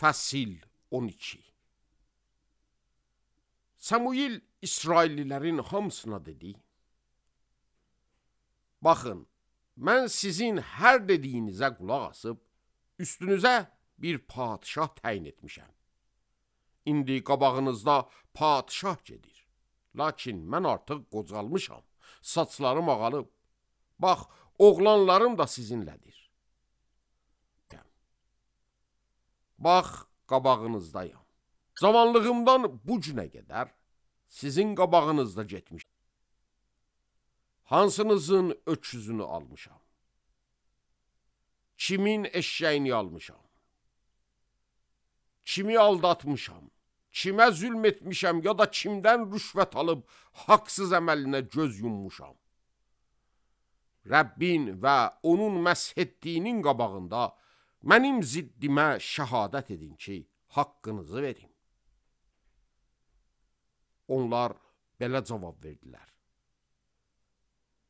Fəsil 12. Samuel İsraillilərin hamısına dedi: Baxın, mən sizin hər dediyinizə qulaq asıb, üstünüzə bir padişah təyin etmişəm. İndi qabağınızda padişah gedir. Lakin mən artıq qocalmışam, saçlarım ağalıb. Bax, oğlanlarım da sizinlədir. Bax, qabağınızdayım. Cavanlığımdan bu günə qədər sizin qabağınızda getmiş. Hansınızın öküzünü almışam? Kimin eşeğini almışam? Kimi aldatmışam? Kimə zülm etmişəm ya da kimdən rüşvət alıb haqsız əməlinə göz yummuşam? Rəbbin və onun məsh etdiyinin qabağında mənim ziddimə şəhadət edin ki, haqqınızı verin. Onlar belə cavab verdilər: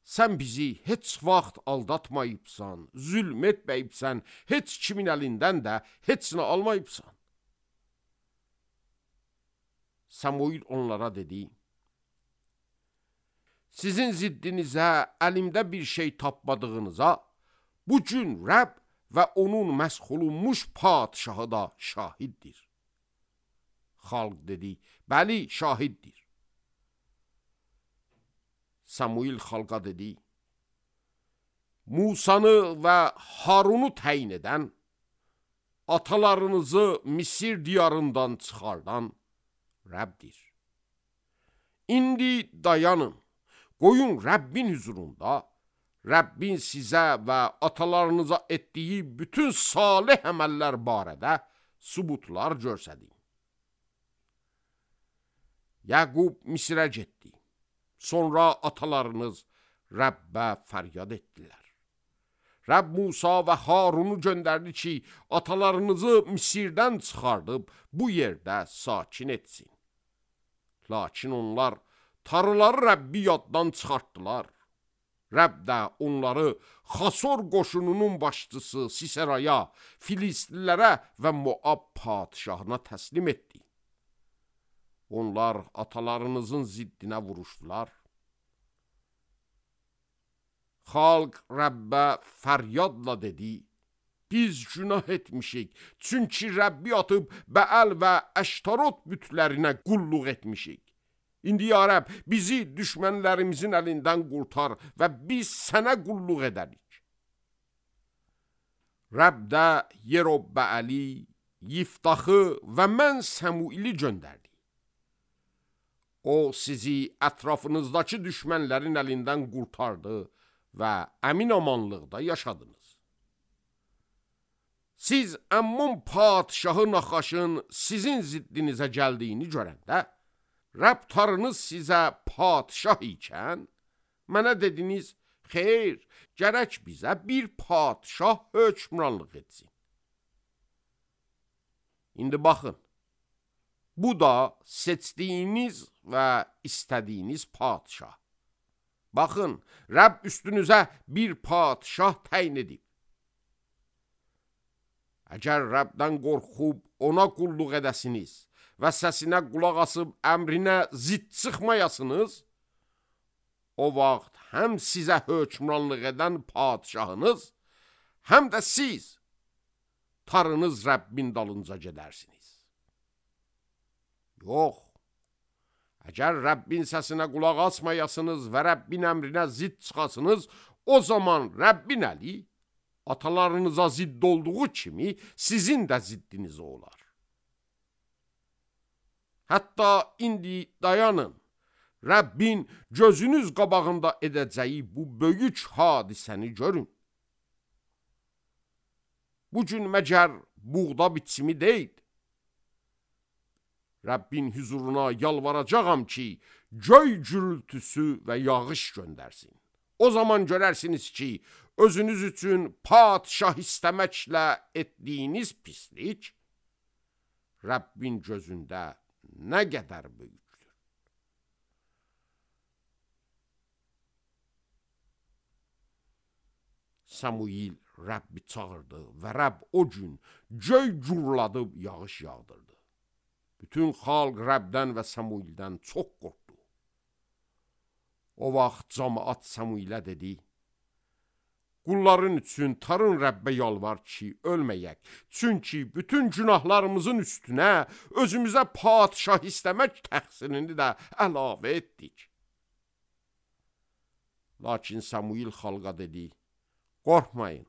Sən bizi heç vaxt aldatmayıbsan, zülm etməyibsən, heç kimin əlindən də heç nə almayıbsan. Samuel onlara dedi: Sizin ziddinizə əlimdə bir şey tapmadığınıza bu gün Rəbb və onun məsh olunmuş padişahı da şahiddir. Xalq dedi: Bəli, şahiddir. Samuel xalqa dedi: Musanı və Harunu təyin edən, atalarınızı Misir diyarından çıxardan Rəbbdir. İndi dayanın, qoyun Rəbbin huzurunda, Rəbbin sizə və atalarınıza etdiyi bütün salih əməllər barədə sübutlar görsədin. Yaqub Misirə getdi. Sonra atalarınız Rəbbə fəryad etdilər. Rəbb Musa və Harunu göndərdi ki, atalarınızı Misirdən çıxardıb bu yerdə sakin etsin. Lakin onlar tarıları Rəbbi yaddan çıxartdılar. Rəbb də onları Xasor qoşununun başçısı Siseraya, Filistlilərə və Moab padişahına təslim etdi. Onlar atalarınızın ziddinə vuruşdular. Xalq Rəbbə fəryadla dedi: Biz günah etmişik, çünki Rəbbi atıb Bəəl və Əştarot bütlərinə qulluq etmişik. İndi ya Rəbb, bizi düşmənlərimizin əlindən qurtar və biz sənə qulluq edərik. Rəbb də Yerobbəəli, Yiftaxı və mən Samueli göndərdi. O sizi ətrafınızdakı düşmənlərin əlindən qurtardı və əmin-amanlıqda yaşadınız. Siz Əmmon padişahı Naxaşın sizin ziddinizə gəldiyini görəndə, Rəbb tarınız sizə padişah ikən, mənə dediniz: Xeyr, gərək bizə bir padişah hökmranlıq etsin. İndi baxın, bu da seçdiyiniz və istədiyiniz padişah. Baxın, Rəbb üstünüzə bir padişah təyin edib. Əgər Rəbdən qorxub ona qulluq edəsiniz və səsinə qulaq asıb əmrinə zidd çıxmayasınız, o vaxt həm sizə hökmranlıq edən padişahınız, həm də siz tarınız Rəbbin dalınca gedərsiniz. Yox, əgər Rəbbin səsinə qulaq asmayasınız və Rəbbin əmrinə zidd çıxasınız, o zaman Rəbbin əli atalarınıza zidd olduğu kimi sizin də ziddinizə olar. Hətta indi dayanın, Rəbbin gözünüz qabağında edəcəyi bu böyük hadisəni görün. Bugün məgər buğda biçimi deyil. Rəbbin huzuruna yalvaracağam ki, göy gürültüsü və yağış göndərsin. O zaman görərsiniz ki, özünüz üçün padişah istəməklə etdiyiniz pislik Rəbbin gözündə nə qədər böyükdür. Samuel Rəbbi çağırdı və Rəbb o gün göy gurladıb yağış yağdırdı. Bütün xalq Rəbdən və Samuildən çox qorxdu. O vaxt cəmaət Samuilə dedi: Qulların üçün tarın Rəbbə yalvar ki, ölməyək. Çünki bütün günahlarımızın üstünə özümüzə padşah istəmək təqsirini də əlavə etdik. Lakin Samuil xalqa dedi: Qorxmayın.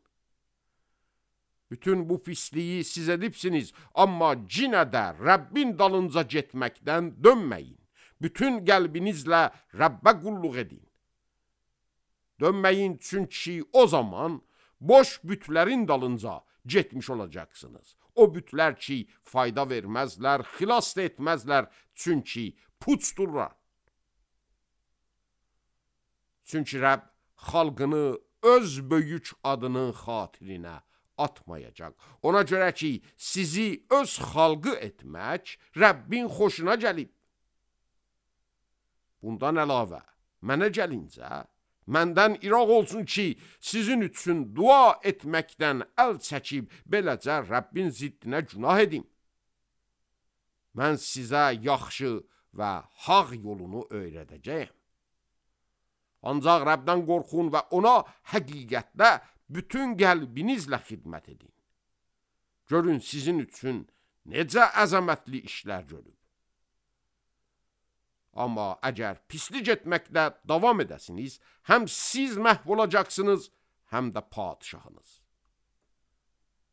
Bütün bu pisliyi siz edibsiniz, amma yenə də Rəbbin dalınca getməkdən dönməyin. Bütün qəlbinizlə Rəbbə qulluq edin. Dönməyin, çünki o zaman boş bütlərin dalınca getmiş olacaqsınız. O bütlər ki, fayda verməzlər, xilas da etməzlər, çünki puçdurlar. Çünki Rəbb xalqını öz böyük adının xatirinə atmayacaq. Ona görə ki, sizi öz xalqı etmək Rəbbin xoşuna gəlib. Bundan əlavə, mənə gəlincə, məndən iraq olsun ki, sizin üçün dua etməkdən əl çəkib, beləcə Rəbbin ziddinə günah edim. Mən sizə yaxşı və haq yolunu öyrədəcəyəm. Ancaq Rəbdən qorxun və ona həqiqətdə bütün qəlbinizlə xidmət edin. Görün sizin üçün necə əzəmətli işlər görüb. Amma əgər pislik etməkdə davam edəsiniz, həm siz məhv olacaqsınız, həm də padşahınız.